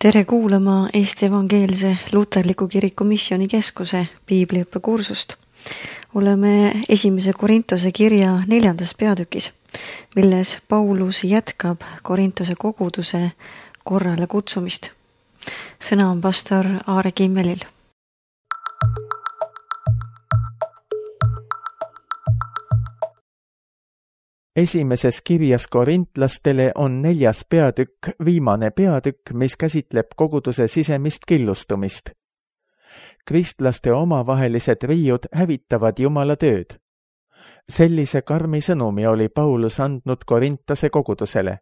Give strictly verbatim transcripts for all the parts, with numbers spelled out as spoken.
Tere kuulama Eesti Evangeelse Luterliku Kiriku Missioonikeskuse piibliõppekursust. Oleme esimese Korintuse kirja neljandas peatükis, milles Paulus jätkab Korintuse koguduse korrale kutsumist. Sõna on pastor Aare Kimmelil. Esimeses kirjas korintlastele on neljas peatükk viimane peatükk, mis käsitleb koguduse sisemist killustumist. Kristlaste omavahelised riiud hävitavad Jumala tööd. Sellise karmi sõnumi oli Paulus andnud Korintase kogudusele.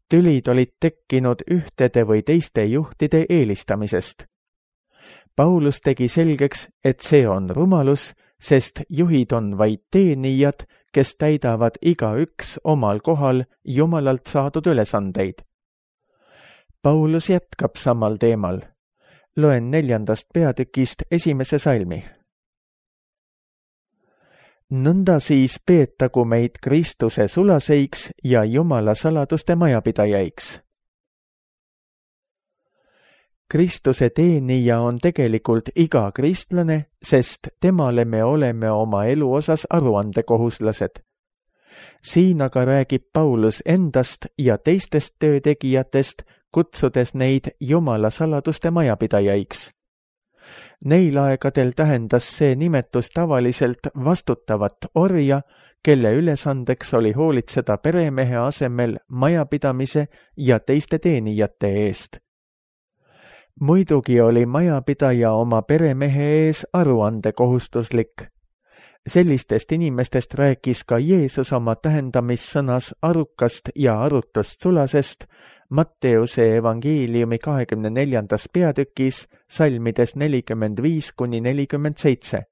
Tülid olid tekkinud ühtede või teiste juhtide eelistamisest. Paulus tegi selgeks, et see on rumalus, sest juhid on vaid teenijad, kes täidavad igaüks omal kohal Jumalalt saadud ülesandeid. Paulus jätkab samal teemal. Loen neljandast peatükist esimese salmi. Nõnda siis peetagu meid Kristuse sulaseiks ja Jumala saladuste majapidajaiks. Kristuse teenija on tegelikult iga kristlane, sest temale me oleme oma elu osas aruandekohuslased. Siin aga räägib Paulus endast ja teistest töötegijatest, kutsudes neid Jumala saladuste majapidajaiks. Neil aegadel tähendas see nimetus tavaliselt vastutavat orja, kelle ülesandeks oli hoolitseda peremehe asemel majapidamise ja teiste teenijate eest. Muidugi oli majapidaja oma peremehe ees aruandekohustuslik. Sellistest inimestest rääkis ka Jeesus oma tähendamissõnas arukast ja arutust sulasest Matteuse evangeeliumi kahekümne neljandas peatükis salmides nelikümmend viis kuni nelikümmend seitse.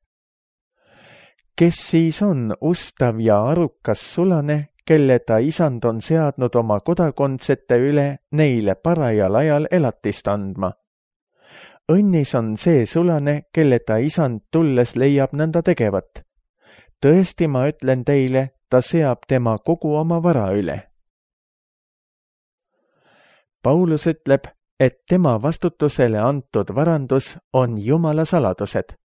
Kes siis on ustav ja arukas sulane, kelle ta isand on seadnud oma kodakondsete üle neile parajal ajal elatist andma? Õnnis on see sulane, kelle ta isand tulles leiab nõnda tegevat. Tõesti, ma ütlen teile, ta seab tema kogu oma vara üle. Paulus ütleb, et tema vastutusele antud varandus on Jumala saladused.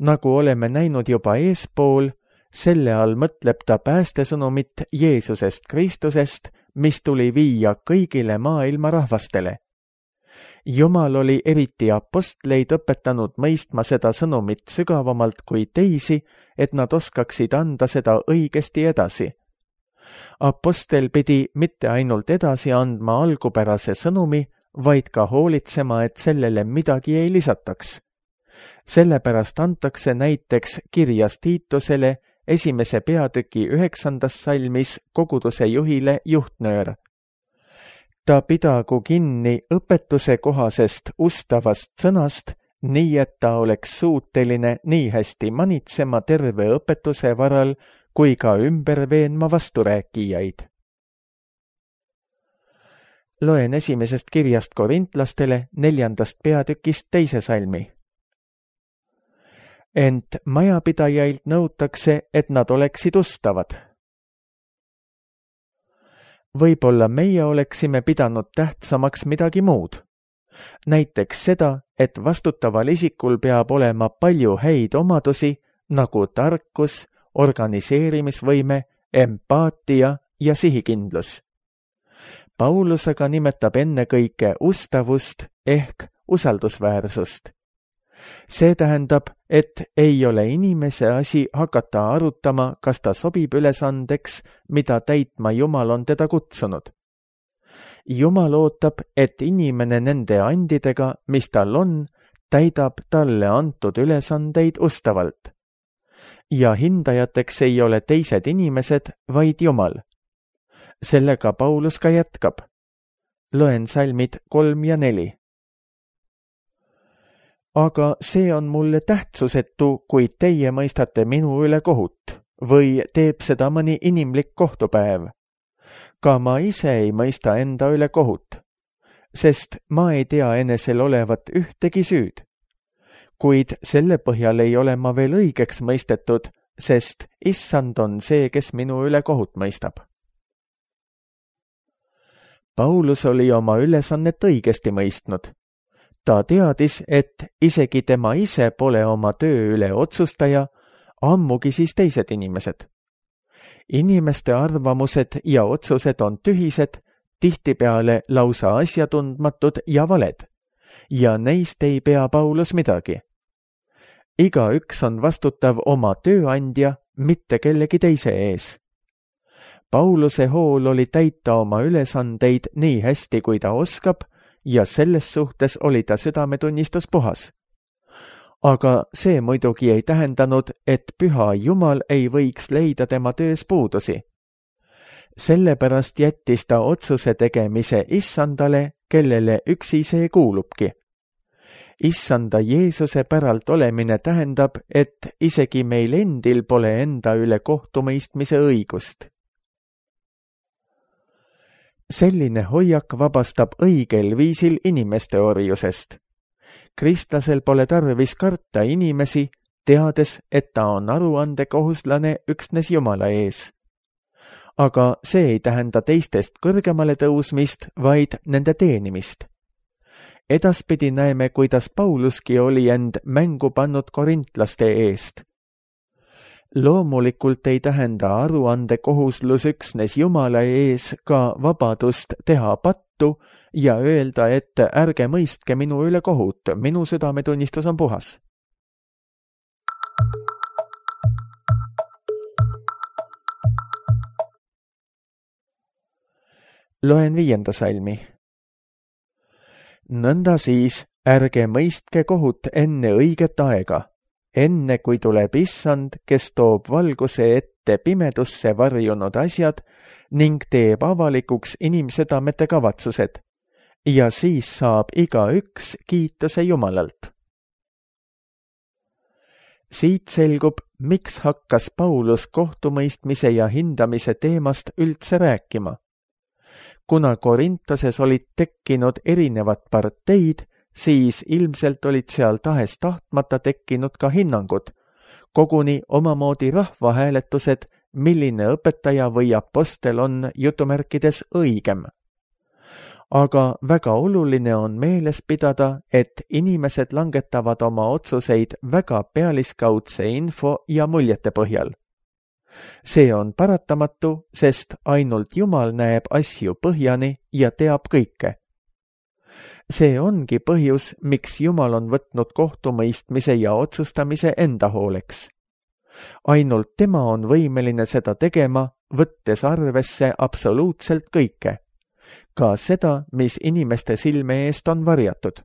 Nagu oleme näinud juba eespool, selle all mõtleb ta päästesõnumit Jeesusest Kristusest, mis tuli viia kõigile maailma rahvastele. Jumal oli eriti apostleid õpetanud mõistma seda sõnumit sügavamalt kui teisi, et nad oskaksid anda seda õigesti edasi. Apostel pidi mitte ainult edasi andma algupärase sõnumi, vaid ka hoolitsema, et sellele midagi ei lisataks. Sellepärast antakse näiteks kirjas Tiitusele esimese peatüki üheksandas salmis koguduse juhile juhtnöör. Ta pidagu kinni õpetuse kohasest ustavast sõnast, nii et ta oleks suuteline nii hästi manitsema terve õpetuse varal kui ka ümber veenma vasturääkijaid. Loen esimesest kirjast korintlastele neljandast peatükist teise salmi. Ent majapidajailt nõutakse, et nad oleksid ustavad. Võib-olla meie oleksime pidanud tähtsamaks midagi muud. Näiteks seda, et vastutaval isikul peab olema palju häid omadusi, nagu tarkus, organiseerimisvõime, empaatia ja sihikindlus. Paulus aga nimetab ennekõike ustavust ehk usaldusväärsust. See tähendab, et ei ole inimese asi hakata arutama, kas ta sobib ülesandeks, mida täitma Jumal on teda kutsunud. Jumal ootab, et inimene nende andidega, mis tal on, täidab talle antud ülesandeid ustavalt. Ja hindajateks ei ole teised inimesed, vaid Jumal. Sellega Paulus ka jätkab. Loen salmid kolm ja neli. Aga see on mulle tähtsusetu, kui teie mõistate minu üle kohut, või teeb seda mõni inimlik kohtupäev. Ka ma ise ei mõista enda üle kohut, sest ma ei tea enesel olevat ühtegi süüd. Kuid selle põhjal ei ole ma veel õigeks mõistetud, sest issand on see, kes minu üle kohut mõistab. Paulus oli oma ülesannet õigesti mõistnud. Ta teadis, et isegi tema ise pole oma töö üle otsustaja, ammugi siis teised inimesed. Inimeste arvamused ja otsused on tühised, tihtipeale lausa asjatundmatud ja valed, ja neist ei pea Paulus midagi. Igaüks on vastutav oma tööandja, mitte kellegi teise ees. Pauluse hool oli täita oma ülesandeid nii hästi, kui ta oskab, ja selles suhtes oli ta südametunnistus puhas. Aga see muidugi ei tähendanud, et püha Jumal ei võiks leida tema töös puudusi. Sellepärast jättis ta otsuse tegemise issandale, kellele üksi see kuulubki. Issanda Jeesuse päralt olemine tähendab, et isegi meil endil pole enda üle kohtumõistmise õigust. Selline hoiak vabastab õigel viisil inimeste orjusest. Kristlasel pole tarvis karta inimesi, teades, et ta on aruandekohuslane üksnes Jumala ees. Aga see ei tähenda teistest kõrgemale tõusmist, vaid nende teenimist. Edaspidi näeme, kuidas Pauluski oli end mängu pannud korintlaste eest. Loomulikult ei tähenda aruandekohuslus üksnes Jumala ees ka vabadust teha pattu ja öelda, et ärge mõistke minu üle kohut, minu südametunnistus on puhas. Loen viienda salmi. Nõnda siis, ärge mõistke kohut enne õiget aega, enne kui tuleb issand, kes toob valguse ette pimedusse varjunud asjad ning teeb avalikuks inimsüdamete kavatsused, ja siis saab igaüks kiituse Jumalalt. Siit selgub, miks hakkas Paulus kohtumõistmise ja hindamise teemast üldse rääkima. Kuna Korintoses olid tekkinud erinevad parteid, siis ilmselt olid seal tahes tahtmata tekkinud ka hinnangud, koguni omamoodi rahvahääletused, milline õpetaja või apostel on jutumärkides õigem. Aga väga oluline on meeles pidada, et inimesed langetavad oma otsuseid väga pealiskaudse info ja muljete põhjal. See on paratamatu, sest ainult Jumal näeb asju põhjani ja teab kõike. See ongi põhjus, miks Jumal on võtnud kohtumõistmise ja otsustamise enda hooleks. Ainult tema on võimeline seda tegema, võttes arvesse absoluutselt kõike. Ka seda, mis inimeste silme eest on varjatud.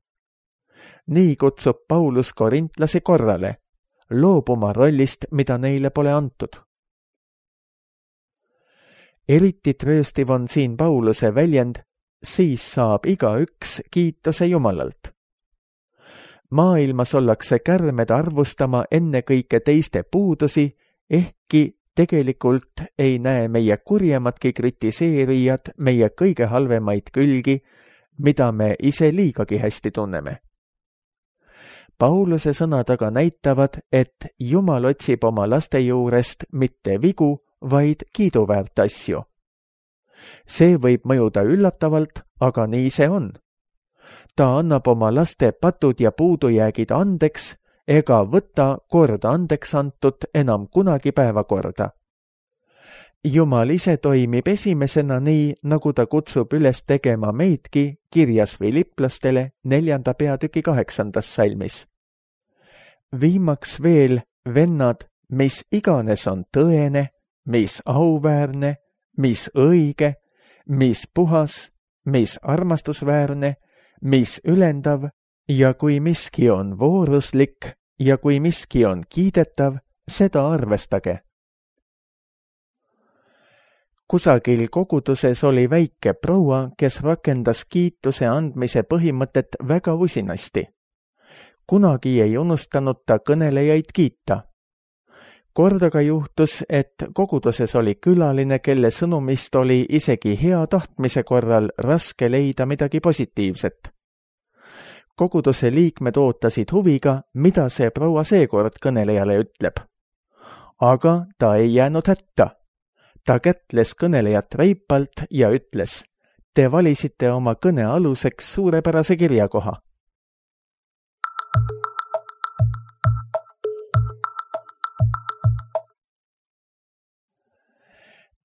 Nii kutsub Paulus korintlasi korrale, loobuma rollist, mida neile pole antud. Eriti trööstiv on siin Pauluse väljend, siis saab igaüks kiituse Jumalalt. Maailmas ollakse kärmed arvustama ennekõike teiste puudusi, ehkki tegelikult ei näe meie kurjemadki kritiseerijad meie kõige halvemaid külgi, mida me ise liigagi hästi tunneme. Pauluse sõnad aga näitavad, et Jumal otsib oma laste juurest mitte vigu, vaid kiiduväärt asju. See võib mõjuda üllatavalt, aga nii see on. Ta annab oma laste patud ja puudujäägid andeks, ega võta kord andeks antud enam kunagi päevakorda. Jumal ise toimib esimesena nii, nagu ta kutsub üles tegema meidki kirjas Filiplastele neljanda peatüki kaheksandas salmis. Viimaks veel, vennad, mis iganes on tõene, mis auväärne, mis õige, mis puhas, mis armastusväärne, mis ülendav ja kui miski on vooruslik ja kui miski on kiidetav, seda arvestage. Kusagil koguduses oli väike proua, kes rakendas kiituse andmise põhimõtet väga usinasti. Kunagi ei unustanud ta kõnelejaid kiita. Kordaga juhtus, et koguduses oli külaline, kelle sõnumist oli isegi hea tahtmise korral raske leida midagi positiivset. Koguduse liikmed ootasid huviga, mida see proua seekord kõnelejale ütleb. Aga ta ei jäänud hätta. Ta kätles kõnelejat reipalt ja ütles, Te valisite oma kõne aluseks suurepärase kirjakoha.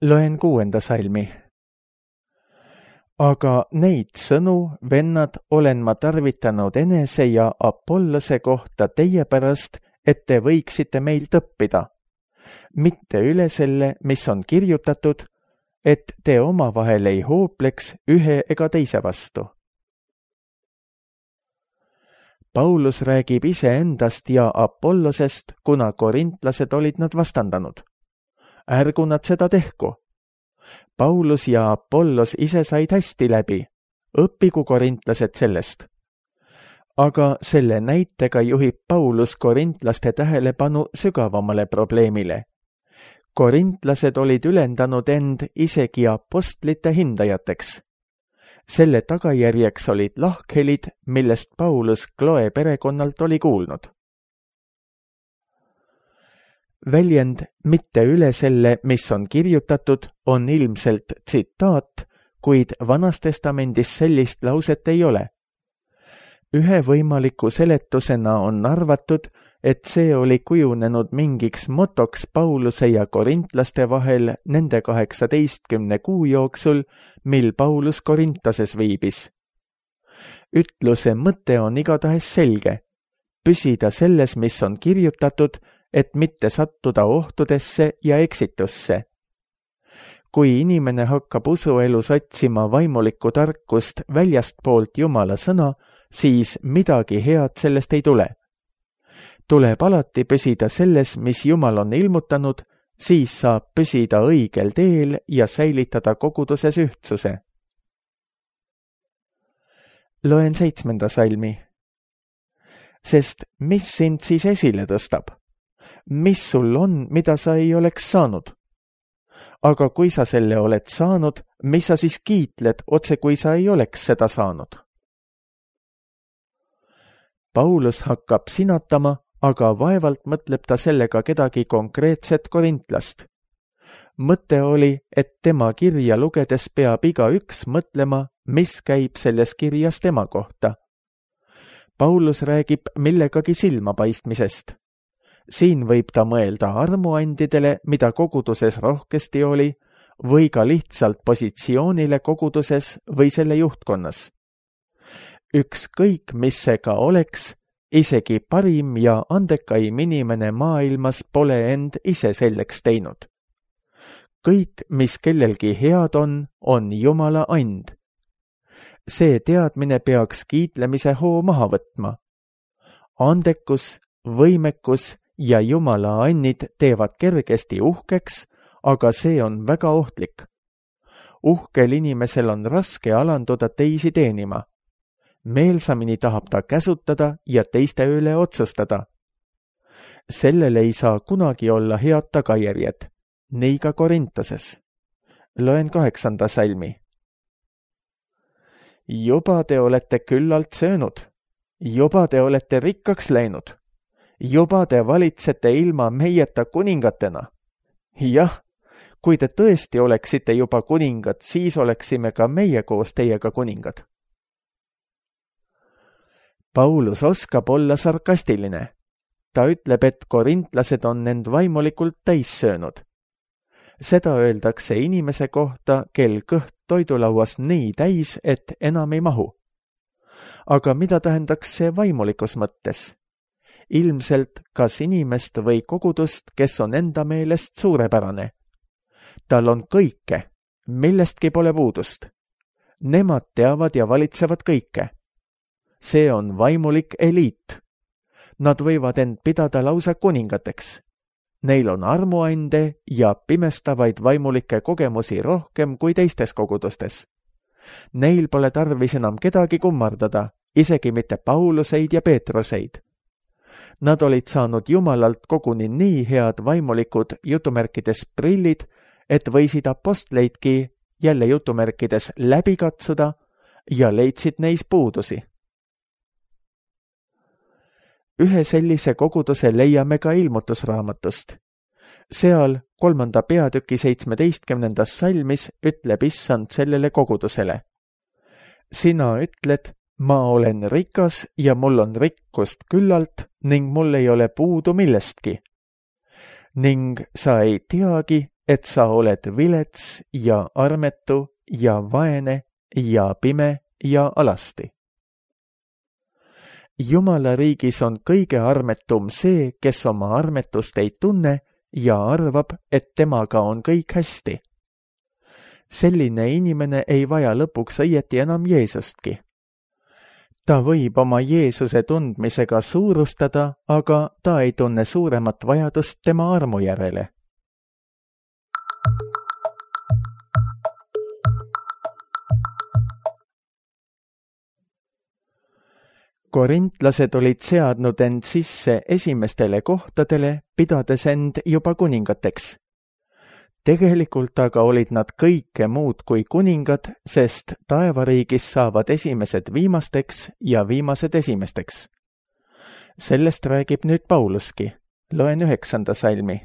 Loen kuuenda salmi. Aga neid sõnu, vennad, olen ma tarvitanud enese ja Apollose kohta teie pärast, et te võiksite meilt õppida. Mitte üle selle, mis on kirjutatud, et te omavahel ei hoopleks ühe ega teise vastu. Paulus räägib iseendast ja Apollosest, kuna korintlased olid nad vastandanud. Ärgu nad seda tehku. Paulus ja Apollos ise said hästi läbi, õppigu korintlased sellest. Aga selle näitega juhib Paulus korintlaste tähelepanu sügavamale probleemile. Korintlased olid ülendanud end isegi apostlite hindajateks. Selle tagajärjeks olid lahkhelid, millest Paulus Kloe perekonnalt oli kuulnud. Väljend mitte üle selle, mis on kirjutatud, on ilmselt tsitaat, kuid Vanas Testamendis sellist lauset ei ole. Ühe võimaliku seletusena on arvatud, et see oli kujunenud mingiks motoks Pauluse ja korintlaste vahel nende kaheksateistkümne kuu jooksul, mil Paulus Korintoses viibis. Ütluse mõte on igatahes selge. Püsida selles, mis on kirjutatud, et mitte sattuda ohtudesse ja eksitusse. Kui inimene hakkab usuelus otsima vaimulikku tarkust väljastpoolt Jumala sõna, siis midagi head sellest ei tule. Tuleb alati püsida selles, mis Jumal on ilmutanud, siis saab püsida õigel teel ja säilitada koguduses ühtsuse. Loen seitsmenda salmi. Sest mis sind siis esile tõstab? Mis sul on, mida sa ei oleks saanud? Aga kui sa selle oled saanud, mis sa siis kiitled, otse kui sa ei oleks seda saanud? Paulus hakkab sinatama, aga vaevalt mõtleb ta sellega kedagi konkreetset korintlast. Mõte oli, et tema kirja lugedes peab igaüks mõtlema, mis käib selles kirjas tema kohta. Paulus räägib millegagi silmapaistmisest. Siin võib ta mõelda armuandidele, mida koguduses rohkesti oli, või ka lihtsalt positsioonile koguduses või selle juhtkonnas. Ükskõik, mis see ka oleks, isegi parim ja andekaim inimene maailmas pole end ise selleks teinud. Kõik, mis kellelgi head on, on Jumala and. See teadmine peaks kiitlemise hoo maha võtma. Andekus, võimekus ja Jumala annid teevad kergesti uhkeks, aga see on väga ohtlik. Uhkel inimesel on raske alanduda teisi teenima. Meelsamini tahab ta käsutada ja teiste üle otsustada. Sellele ei saa kunagi olla head tagajärjed, nii ka Korintoses. Loen kaheksanda salmi. Juba te olete küllalt söönud, juba te olete rikkaks läinud, juba te valitsete ilma meieta kuningatena. Jah, kui te tõesti oleksite juba kuningad, siis oleksime ka meie koos teiega kuningad. Paulus oskab olla sarkastiline. Ta ütleb, et korintlased on end vaimulikult täis söönud. Seda öeldakse inimese kohta, kel kõht toidulauas nii täis, et enam ei mahu. Aga mida tähendaks see vaimulikus mõttes? Ilmselt kas inimest või kogudust, kes on enda meelest suurepärane. Tal on kõike, millestki pole puudust. Nemad teavad ja valitsevad kõike. See on vaimulik eliit. Nad võivad end pidada lausa kuningateks. Neil on armuande ja pimestavaid vaimulikke kogemusi rohkem kui teistes kogudustes. Neil pole tarvis enam kedagi kummardada, isegi mitte Pauluseid ja Peetruseid. Nad olid saanud Jumalalt koguni nii head vaimulikud jutumärkides prillid, et võisid apostleidki jälle jutumärkides läbi katsuda ja leidsid neis puudusi. Ühe sellise koguduse leiame ka ilmutusraamatust. Seal kolmanda peatüki seitsmeteistkümnendas salmis ütleb issand sellele kogudusele. sina ütled, ma olen rikas ja mul on rikkust küllalt ning mul ei ole puudu millestki. Ning sa ei teagi, et sa oled vilets ja armetu ja vaene ja pime ja alasti. Jumala riigis on kõige armetum see, kes oma armetust ei tunne ja arvab, et temaga on kõik hästi. Selline inimene ei vaja lõpuks õieti enam Jeesustki. Ta võib oma Jeesuse tundmisega suurustada, aga ta ei tunne suuremat vajadust tema armu järele. Korintlased olid seadnud end sisse esimestele kohtadele, pidades end juba kuningateks. Tegelikult aga olid nad kõike muud kui kuningad, sest taevariigis saavad esimesed viimasteks ja viimased esimesteks. Sellest räägib nüüd Pauluski. Loen üheksanda salmi.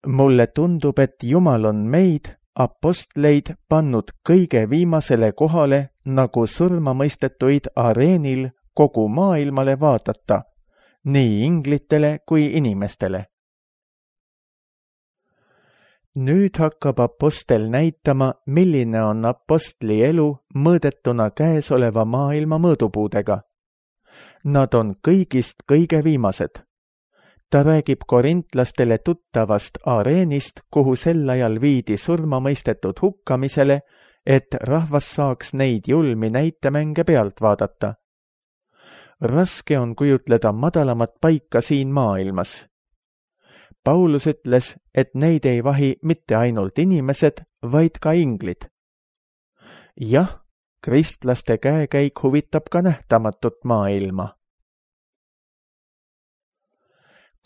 Mulle tundub, et Jumal on meid, apostleid, pannud kõige viimasele kohale, nagu surmamõistetuid areenil kogu maailmale vaadata, nii inglitele kui inimestele. Nüüd hakkab apostel näitama, milline on apostli elu mõõdetuna käesoleva maailma mõõdupuudega. Nad on kõigist kõige viimased. Ta räägib korintlastele tuttavast areenist, kuhu sel ajal viidi surmamõistetud hukkamisele, et rahvas saaks neid julmi näitemänge pealt vaadata. Raske on kujutleda madalamat paika siin maailmas. Paulus ütles, et neid ei vahi mitte ainult inimesed, vaid ka inglid. Jah, kristlaste käekäik huvitab ka nähtamatut maailma.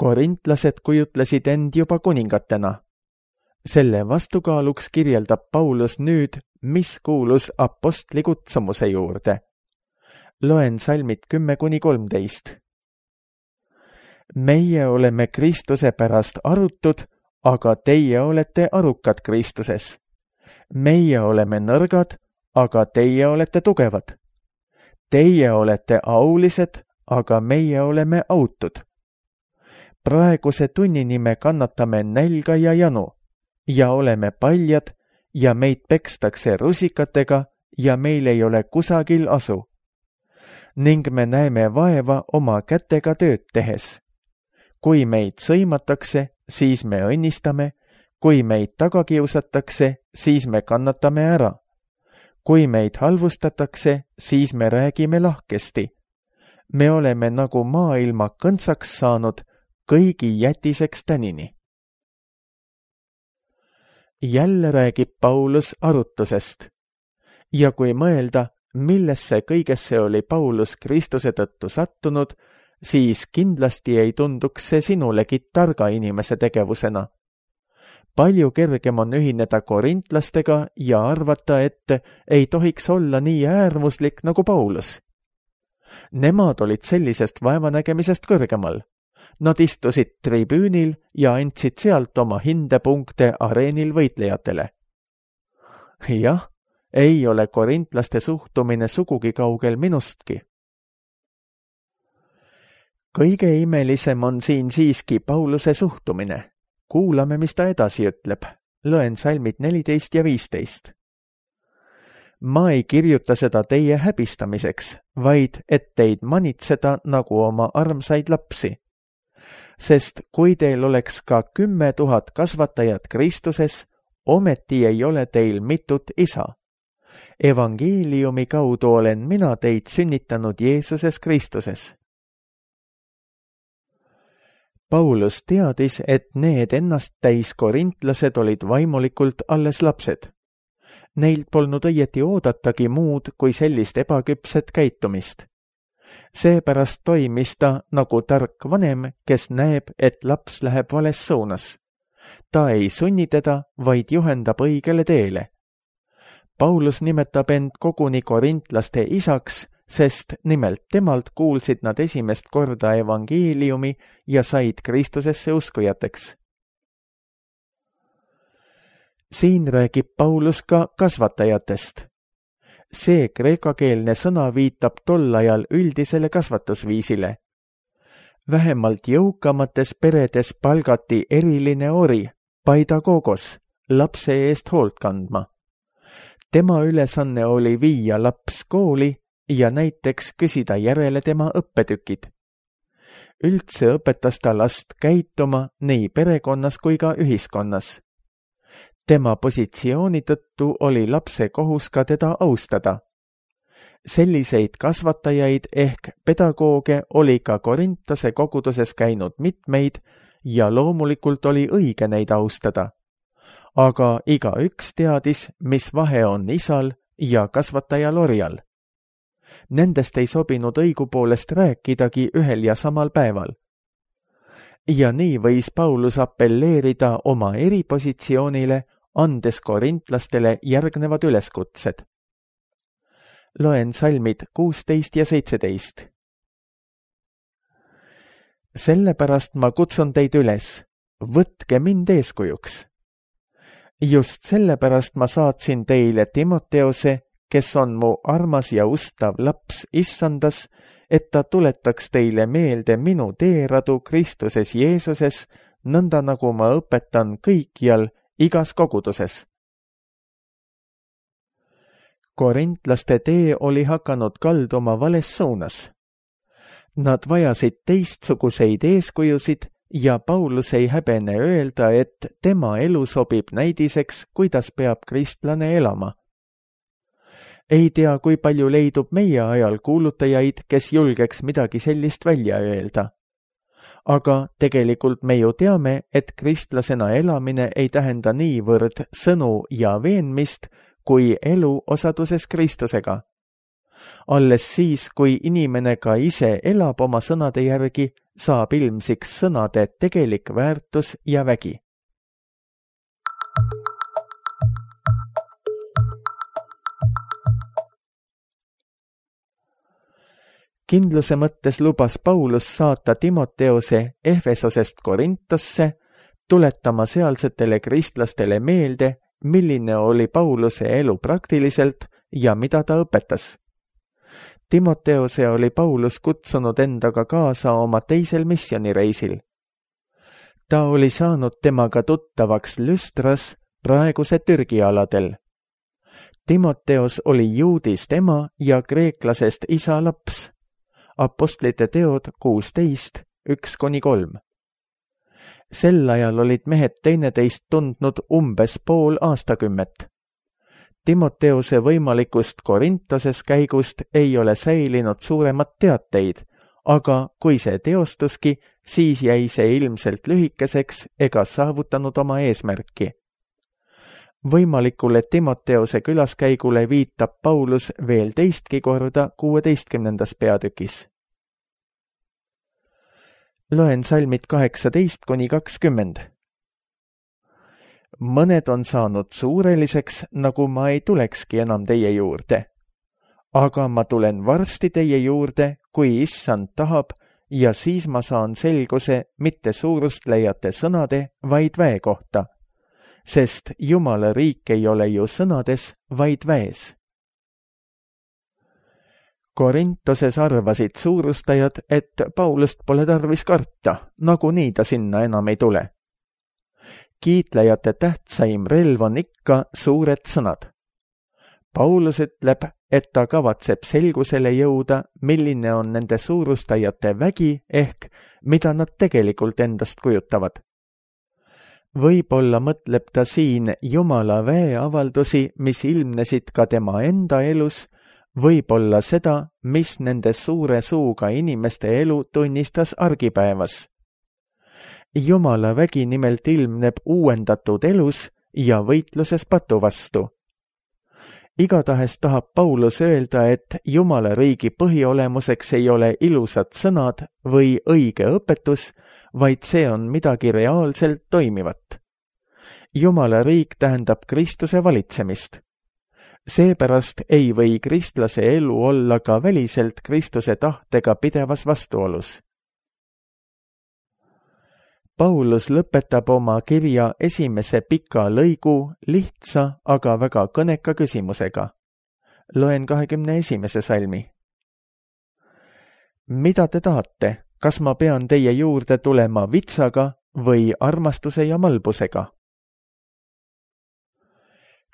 Korintlased kujutlesid end juba kuningatena. Selle vastukaaluks kirjeldab Paulus nüüd, mis kuulus apostli kutsumuse juurde. Loen salmid kümme kuni kolmteist. Meie oleme Kristuse pärast arutud, aga teie olete arukad Kristuses. Meie oleme nõrgad, aga teie olete tugevad. Teie olete aulised, aga meie oleme autud. Praeguse tunnini me kannatame nälga ja janu ja oleme paljad ja meid pekstakse rusikatega ja meil ei ole kusagil asu. Ning me näeme vaeva oma kätega tööd tehes. Kui meid sõimatakse, siis me õnnistame, kui meid tagakiusatakse, siis me kannatame ära. Kui meid halvustatakse, siis me räägime lahkesti. Me oleme nagu maailma kõntsaks saanud, kõigi jätiseks tänini. Jälle räägib Paulus arutusest. Ja kui mõelda, millesse kõigesse oli Paulus Kristuse tõttu sattunud, siis kindlasti ei tunduks see sinulegi targa inimese tegevusena. Palju kergem on ühineda korintlastega ja arvata, et ei tohiks olla nii äärmuslik nagu Paulus. Nemad olid sellisest vaevanägemisest kõrgemal. Nad istusid tribüünil ja andsid sealt oma hindepunkte areenil võitlejatele. Jah, ei ole korintlaste suhtumine sugugi kaugel minustki. Kõige imelisem on siin siiski Pauluse suhtumine. Kuulame, mis ta edasi ütleb. Loen salmid neliteist ja viisteist. Ma ei kirjuta seda teie häbistamiseks, vaid et teid manitseda nagu oma armsaid lapsi. Sest kui teil oleks ka kümme tuhat kasvatajat Kristuses, ometi ei ole teil mitut isa. Evangeeliumi kaudu olen mina teid sünnitanud Jeesuses Kristuses. Paulus teadis, et need ennast täis korintlased olid vaimulikult alles lapsed. Neilt polnud õieti oodatagi muud kui sellist ebaküpset käitumist. Seepärast toimis ta nagu tark vanem, kes näeb, et laps läheb vales suunas. Ta ei sunni teda, vaid juhendab õigele teele. Paulus nimetab end koguni korintlaste isaks, sest nimelt temalt kuulsid nad esimest korda evangeeliumi ja said Kristusesse uskujateks. Siin räägib Paulus ka kasvatajatest. See kreekakeelne sõna viitab tol ajal üldisele kasvatusviisile. Vähemalt jõukamates peredes palgati eriline ori, paidagogos, lapse eest hoolt kandma. Tema ülesanne oli viia laps kooli ja näiteks küsida järele tema õppetükid. Üldse õpetas ta last käituma nii perekonnas kui ka ühiskonnas. Tema positsiooni tõttu oli lapse kohus ka teda austada. Selliseid kasvatajaid ehk pedagooge oli ka Korintose koguduses käinud mitmeid ja loomulikult oli õige neid austada. Aga igaüks teadis, mis vahe on isal ja kasvatajal orjal. Nendest ei sobinud õigupoolest rääkidagi ühel ja samal päeval. Ja nii võis Paulus appelleerida oma eripositsioonile, andes korintlastele järgnevad üleskutsed. Loen salmid kuusteist ja seitseteist. Sellepärast ma kutsun teid üles, võtke mind eeskujuks. Just sellepärast ma saatsin teile Timoteose, kes on mu armas ja ustav laps issandas, et ta tuletaks teile meelde minu teeradu Kristuses Jeesuses, nõnda nagu ma õpetan kõikjal igas koguduses. Korintlaste tee oli hakanud kalduma vales suunas. Nad vajasid teistsuguseid eeskujusid ja Paulus ei häbene öelda, et tema elu sobib näidiseks, kuidas peab kristlane elama. Ei tea, kui palju leidub meie ajal kuulutajaid, kes julgeks midagi sellist välja öelda. Aga tegelikult me ju teame, et kristlasena elamine ei tähenda niivõrd sõnu ja veenmist, kui elu osaduses Kristusega. Alles siis, kui inimene ka ise elab oma sõnade järgi, saab ilmsiks sõnade tegelik väärtus ja vägi. Kindluse mõttes lubas Paulus saata Timoteose Efesosest Korintosse, tuletama sealsetele kristlastele meelde, milline oli Pauluse elu praktiliselt ja mida ta õpetas. Timoteose oli Paulus kutsunud endaga kaasa oma teisel missionireisil. Ta oli saanud temaga tuttavaks Lüstras, praeguse Türgi aladel. Timoteos oli juudist ema ja kreeklasest isa laps. Apostlite teod kuusteist, üks kuni kolm. Sel ajal olid mehed teineteist tundnud umbes pool aastakümmet. Timoteose võimalikust Korintoses käigust ei ole säilinud suuremat teateid, aga kui see teostuski, siis jäi see ilmselt lühikeseks ega saavutanud oma eesmärki. Võimalikule Timoteose külaskäigule viitab Paulus veel teistki korda kuueteistkümnendas peatükis. Loen salmid kaheksateist kuni kakskümmend. Mõned on saanud suureliseks, nagu ma ei tulekski enam teie juurde. Aga ma tulen varsti teie juurde, kui issand tahab, ja siis ma saan selguse mitte suurust leiate sõnade, vaid väe kohta. Sest Jumala riik ei ole ju sõnades, vaid väes. Korintoses arvasid suurustajad, et Paulust pole tarvis karta, nagunii ta sinna enam ei tule. Kiitlejate tähtsaim relv on ikka suured sõnad. Paulus ütleb, et ta kavatseb selgusele jõuda, milline on nende suurustajate vägi ehk mida nad tegelikult endast kujutavad. Võib-olla mõtleb ta siin Jumala väe avaldusi, mis ilmnesid ka tema enda elus, võib-olla seda, mis nende suure suuga inimeste elu tunnistas argipäevas. Jumala vägi nimelt ilmneb uuendatud elus ja võitluses patu vastu. Igatahes tahab Paulus öelda, et Jumala riigi põhiolemuseks ei ole ilusad sõnad või õige õpetus, vaid see on midagi reaalselt toimivat. Jumala riik tähendab Kristuse valitsemist. Seepärast ei või kristlase elu olla ka väliselt Kristuse tahtega pidevas vastuolus. Paulus lõpetab oma kirja esimese pika lõigu lihtsa, aga väga kõneka küsimusega. loen kahekümne esimese salmi. Mida te tahate, kas ma pean teie juurde tulema vitsaga või armastuse ja malbusega?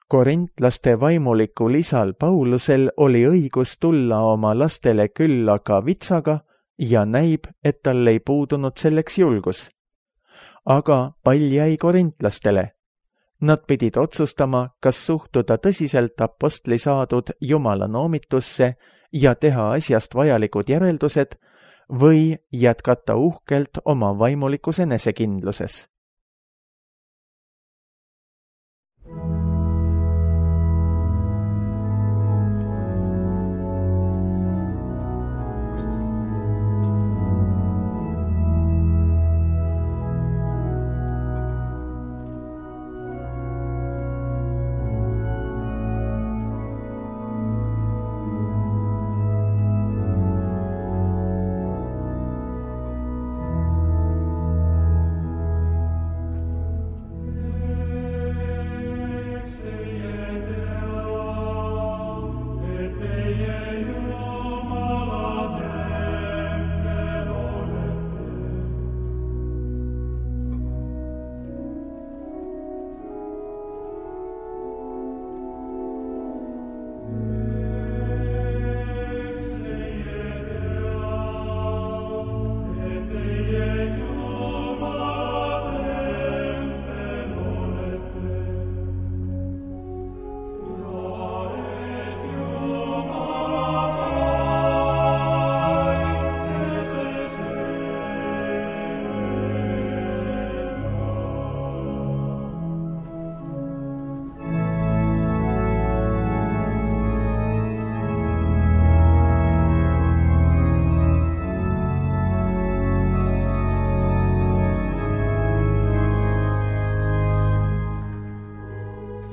Korintlaste vaimulikul isal Paulusel oli õigus tulla oma lastele külla ka vitsaga ja näib, et tal ei puudunud selleks julgus. Aga pall jäi korintlastele. Nad pidid otsustama, kas suhtuda tõsiselt apostli saadud Jumala noomitusse ja teha asjast vajalikud järeldused või jätkata uhkelt oma vaimulikus enesekindluses.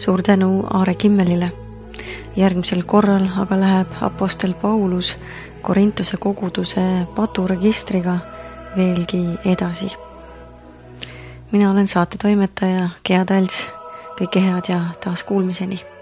Suur tänu Aare Kimmelile. Järgmisel korral aga läheb apostel Paulus Korintuse koguduse paturegistriga veelgi edasi. Mina olen saate toimetaja Gea Tals. Kõike head ja taas kuulmiseni.